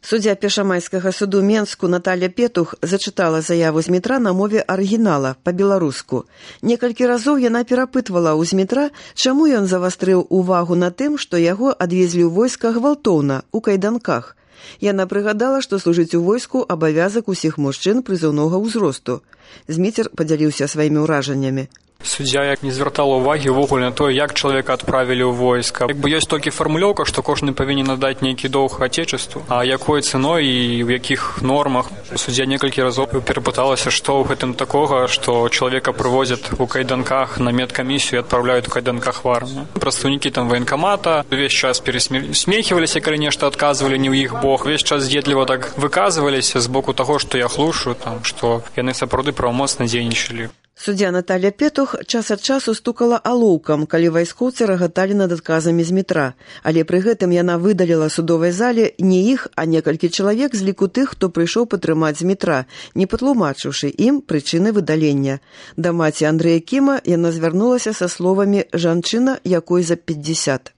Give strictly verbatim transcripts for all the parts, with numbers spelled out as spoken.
Суддзя Першамайскага суду Менску Наталья Петух зачытала заяву Змітра на мове арыгінала, па-беларуску. Некалькі разоў яна перапытвала ў Змітра, чаму ён завастрыў увагу на тым, што яго адвезлі ў войска гвалтоўна, у кайданках. Яна прыгадала, што служыць у войску абавязак усіх мужчын прызыўнога ўзросту. Зміцер падзяліўся сваімі ўражаннямі. Суддзя як не звяртала ўвагі ўвогуле на тое, як чалавека адправілі ў войска. Як бы ёсць толькі фармулёўка, што кожны павінен надаць нейкі доўг Отечеству, а якой цэной і ў якіх нормах. Суддзя некалькі разоў перапыталася, што ў гэтым такога, што чалавека прывозяць у кайданках на медкамісію і адпраўляюць у кайданках в армію. Прадстаўнікі там военкамата увесь час перасмехиваліся, калі нешта адказвалі не ў іх бок. Увесь час з'едліва так выказваліся з боку таго, што я хлушу, там, што яны сапраўды правамоцна дзейнічалі. Суддзя Наталья Петух час ад часу стукала алоўкам, калі вайскоўцы рагаталі над адказамі Змітра, але пры гэтым яна выдаліла судовай зале не іх, а некалькі чалавек з ліку тых, хто прыйшоў падтрымаць Змітра, не патлумачыўшы ім прычыны выдалення. Да маці Андрэя Кіма яна звярнулася са словамі «жанчына, якой за пятьдесят».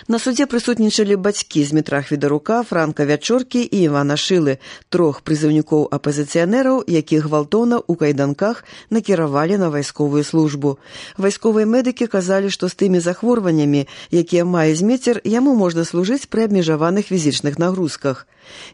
На судзе прысутнічалі бацькі Змітра Хвідарука, Франка Вячоркі і Івана Шылы, трох прызыўнікоў апазіцыянераў, якіх гвалтоўна ў кайданках накіравалі на вайсковую службу. Вайсковыя медыкі казалі, што з тымі захворваннямі, якія мае Зміцер, яму можна служыць пры абмежаваных фізічных нагрузках.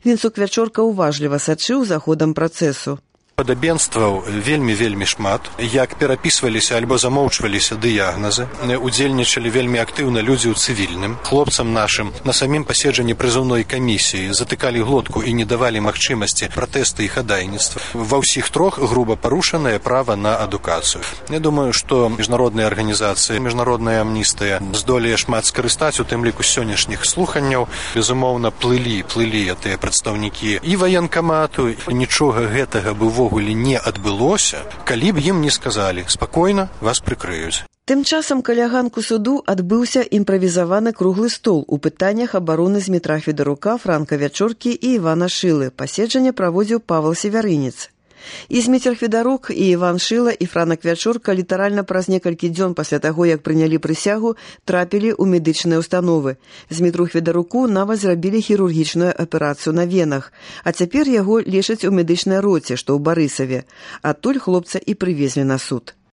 Вінцук Вячорка уважліва сачыў за ходам працэсу. Падабенстваў вельмі-вельмі шмат, як перапісваліся альбо замоўчваліся дыягназы, удзельнічалі вельмі актыўна людзі ў цывільным. Хлопцам нашым на самім паседжанні прызыўной камісіі затыкалі глотку і не давалі магчымасці пратэста і хадайніцтва. Ва ўсіх трох груба парушанае права на адукацыю. Я думаю, што міжнародныя арганізацыі, міжнародная амністыя здолее шмат скарыстаць, у тым ліку сённяшніх слуханняў. Безумоўна, плылі, плылі тыя прадстаўнікі і ваенкамату, нічога гэтага быў увогуле не адбылося, калі б ім не сказалі «спакойна, вас прыкрыюць». Тым часам каля ганку суду адбыўся імправізаваны круглы стол у пытаннях абароны Змітра Хвідарука, Франка Вячоркі і Івана Шылы. Паседжанне праводзіў Павел Севярынец. І Зміцер Хвідарук, і Іван Шыла, і Франак Вячорка літаральна праз некалькі дзён пасля таго, як прынялі прысягу, трапілі ў медычныя ўстановы. Змітру Хвідаруку нават зрабілі хірургічную аперацыю на венах, а цяпер яго лечаць у медычнай роце, што ў Барысаве. Адтуль хлопца і прывезлі на суд.